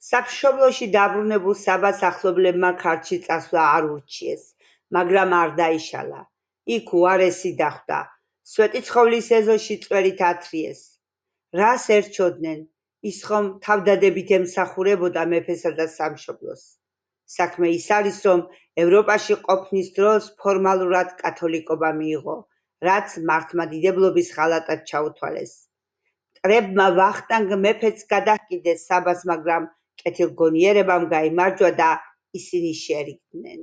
სამშობლოში დაბრუნებულ საბას ახლობლებმა ქართლში წასვლა არ ურჩიეს, მაგრამ არ დაიშალა. იქ უარესი დახვდა, სვეტიცხოვლის ეზოში წვერით ათრიეს. რას ერჩოდნენ? ის ხომ თავდადებით ემსახურებოდა მეფესა და სამშობლოს. საქმე ის არის, რომ ევროპაში ყოფნის დროს ფორმალურად კათოლიკობა მიიღო, რაც მართლმადიდებლობის ღალატად ჩაუთვალეს. მტრებმა ვახტანგ მეფეც გადაჰკიდეს საბას, მაგრამ კეთილგონიერებამ გაიმარჯვა და ისინი შერიგდნენ.